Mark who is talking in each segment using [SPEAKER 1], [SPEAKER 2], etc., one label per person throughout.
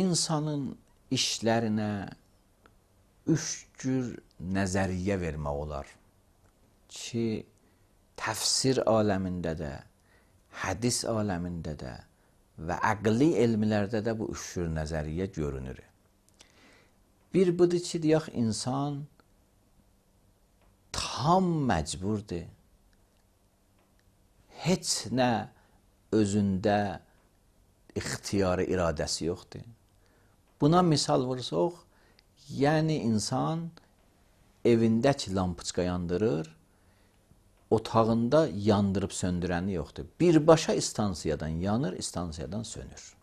[SPEAKER 1] insanın işlərinə üç cür nəzəriyyə vermək olar ki, təfsir aləmində də, hədis aləmində də və əqli elmlərdə də bu üç cür nəzəriyyə görünür. Bir budur ki, deyək, insan tam məcburdur. Heç nə özündə ixtiyarı, iradəsi yoxdur. Buna misal vursaq, yəni insan evindəki lampiçka yandırır, otağında yandırıb söndürəni yoxdur. Birbaşa istansiyadan yanır, istansiyadan sönür.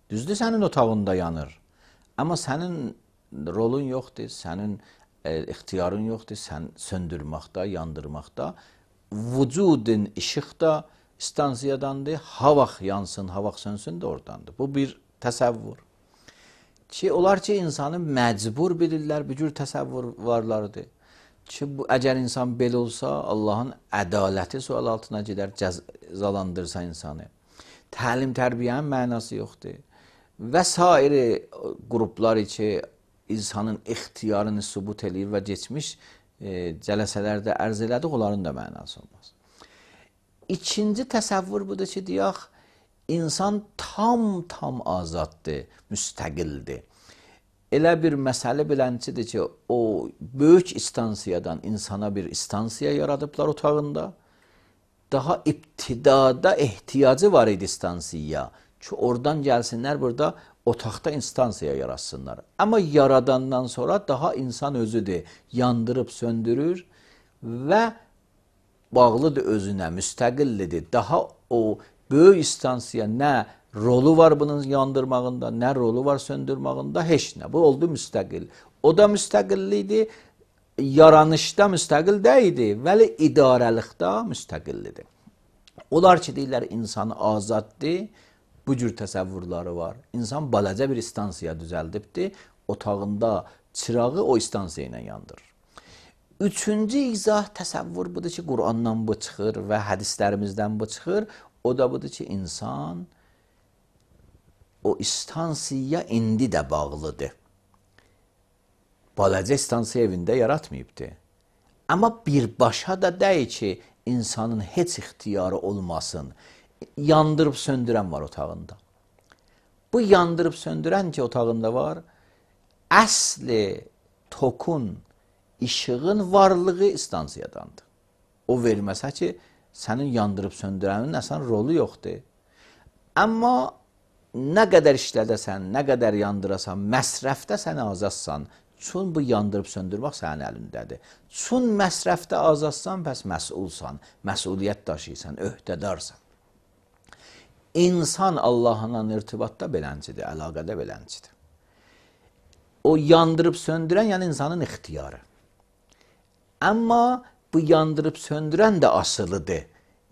[SPEAKER 1] Düzdür, sənin otağında yanır. Amma sənin rolun yoxdur, sənin ixtiyarın yoxdur, sən söndürməkdə, yandırmaqda. Vücudun işıq da istansiyadandır, ha vaxt yansın, ha vaxt sönsün də oradandır. Bu bir təsəvvür. Ki, onlar ki, insanı məcbur bilirlər, bir cür təsəvvürlardır. Ki, əgər insan belə olsa, Allahın ədaləti sual altına gedər, cəzalandırsa insanı. Təlim, tərbiyənin mənası yoxdur. Və sairi qruplar ki, insanın ixtiyarını sübut eləyir və geçmiş cələsələrdə ərz elədik, onların da mənası olmaz. İkinci təsəvvür budur ki, deyək, insan tam azaddır, müstəqildir. Elə bir məsələ bilənçidir ki, o böyük istansiyadan insana bir istansiya yaradıblar otağında. Daha ibtidada ehtiyacı var idi istansiyaya ki, oradan gəlsinlər burada otaqda instansiya yaratsınlar. Amma yaradandan sonra daha insan özüdür, yandırıb söndürür və bağlıdır özünə, müstəqillidir. Daha o böyük istansiya nə rolu var bunun yandırmağında, nə rolu var söndürmağında, heç nə. Bu oldu müstəqil. O da müstəqillidir, yaranışda müstəqil deyildi, vəli idarəlikdə müstəqillidir. Onlar ki, deyirlər, insan azaddır, bu cür təsəvvürləri var. İnsan balaca bir istansiya düzəldibdir, otağında çırağı o istansiya ilə yandırır. Üçüncü izah təsəvvür budur ki, Qur'andan bu çıxır və hədislərimizdən bu çıxır. O da budur ki, insan o istansiya indi də bağlıdır. Balaca istansiya evində yaratmayıbdır. Amma birbaşa da deyil ki, insanın heç ixtiyarı olmasın. Yandırıb söndürən var otağında. Bu yandırıb söndürən ki, otağında var, əsli tokun, işığın varlığı istansiyadandır. O verməsə ki, sənin yandırıb söndürənin əsən rolu yoxdur. Amma nə qədər işlədəsən, nə qədər yandırasan, məsrəfdə sən azadsan. Çün bu yandırıb söndürmək sənin əlindədir. Çün məsrəfdə azadsan, bəs məsulsan, məsuliyyət daşıyırsan, öhdədarsan. İnsan Allahla irtibatda beləncidir, əlaqədə beləncidir. O yandırıb söndürən, yəni insanın ixtiyarı. Amma bu yandırıb söndürən də asılıdır.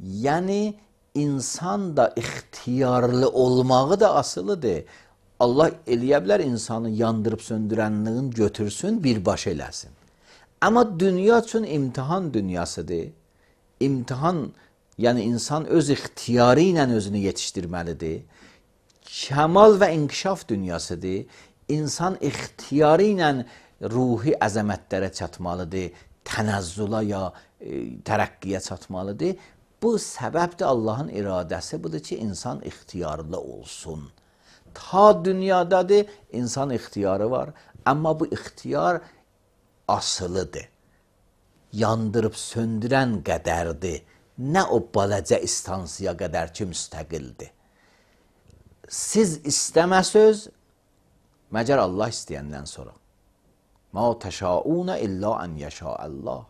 [SPEAKER 1] Yəni, insan da ixtiyarlı olmağı da asılıdır. Allah eləyə bilər insanı yandırıb söndürənliğin götürsün, birbaşa eləsin. Amma dünya üçün imtihan dünyasıdır. İmtihan, yəni insan öz ixtiyarı ilə özünü yetişdirməlidir. Kəmal və inkişaf dünyasıdır. İnsan ixtiyarı ilə ruhi əzəmətlərə çatmalıdır, tənəzzüla ya tərəqqiyə çatmalıdır. Bu səbəbdir Allahın iradəsi budur ki, insan ixtiyarlı olsun. Ta dünyadadır, insan ixtiyarı var, amma bu ixtiyar asılıdır. Yandırıb söndürən qədərdir. Nə o balaca istansiya qədər ki, müstəqildir. Siz istəməsöz, məgər Allah istəyəndən sonra. Ma təşaunə illə ən yəşəəllah.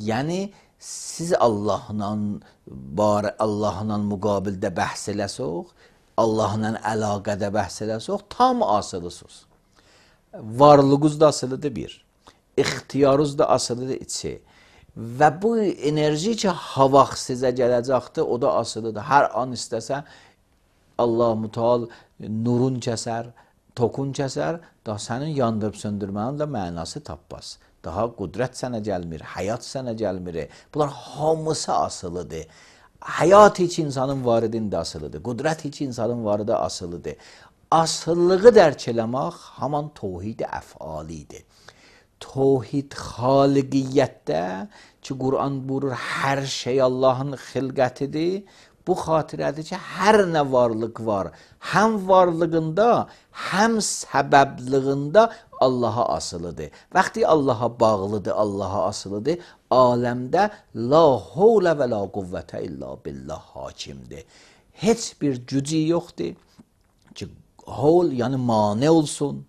[SPEAKER 1] Yəni, siz Allahla müqabildə bəhs eləsək, Allahla əlaqədə bəhs eləsək, tam asılısınız. Varlığınız da asılıdır bir. İxtiyarınız da asılıdır içi. Və bu enerji ki, ha vaxt sizə gələcəkdir, o da asılıdır. Hər an istəsə, Allah müteal nurun kəsər, tokun kəsər, daha sənin yandırıb söndürmənin də mənası tapmaz. Daha qudrət sənə gəlmir, həyat sənə gəlmir. Bunlar hamısı asılıdır. Həyat hiç insanın varidində asılıdır. Qudrət hiç insanın varida asılıdır. asıllığı dərk eləmək haman tövhid əfalidir. Tövhid xaliqiyyətdə ki, Quran buyurur, hər şey Allahın xilqətidir. Bu xatirədir ki, hər nə varlıq var, həm varlığında, həm səbəblığında Allaha asılıdır. Vaxtı Allaha bağlıdır, Allaha asılıdır, aləmdə la havlə və la quvvətə illa billah hakimdir. Heç bir gücü yoxdur ki, havl yəni mane olsun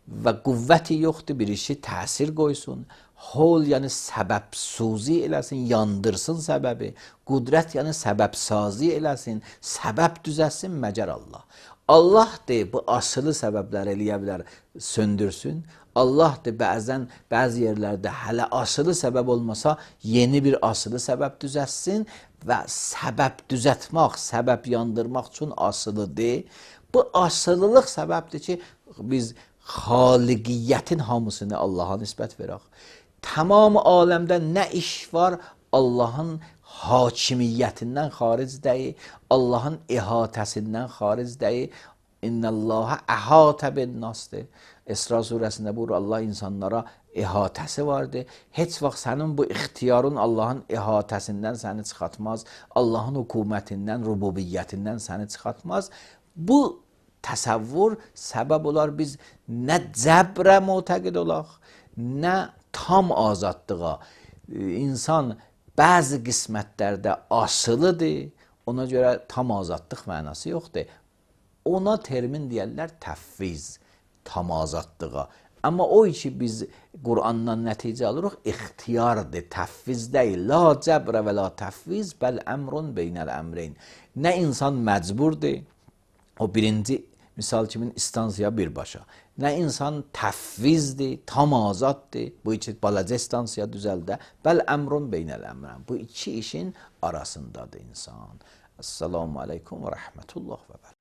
[SPEAKER 1] və qüvvəti yoxdur, bir işi təsir qoysun. Havl yəni səbəbsuzi eləsin, yandırsın səbəbi. Qudrət yəni səbəbsazi eləsin, səbəb düzəsin məgər Allah. Allah de bu asılı səbəblər eləyə bilər, söndürsün. Allah de bəzi yerlərdə hələ asılı səbəb olmasa, yeni bir asılı səbəb düzəsin və səbəb düzətmək, səbəb yandırmaq üçün asılıdır. Bu asılılıq səbəbdir ki, biz xaliqiyyətin hamısını Allaha nisbət verək. Tamam aləmdə nə iş var, Allahın hakimiyyətindən xaric deyil, Allahın ihatəsindən xaric deyil. İnnəllâhə əhatə bin-nasdır. İsra surəsində buyurur, Allah insanlara ihatəsi vardır. Heç vaxt sənin bu ixtiyarın Allahın ihatəsindən səni çıxartmaz, Allahın hökumətindən, rububiyyətindən səni çıxartmaz. Bu təsəvvür səbəb olar biz nə cəbrə mütəqid olaq, nə tam azadlığa. İnsan bəzi qismətlərdə asılıdır, ona görə tam azadlıq mənası yoxdur. Ona termin deyərlər təfviz, tam azadlığa. Amma o ki biz Qurandan nəticə alırıq, ixtiyardır, təfviz deyil. La cəbrə və la təfviz, bəl əmrun beynəl əmreyn. Nə insan məcburdur, o birinci misal kimin istansiya birbaşa. Nə insan təfvizdir, tam azaddır, bu iki balaca istansiya düzəldə, bəl əmrun beynəl əmrən. Bu iki işin arasındadır insan. Esselamu aleykum və rəhmətullah və bərəkətuhu.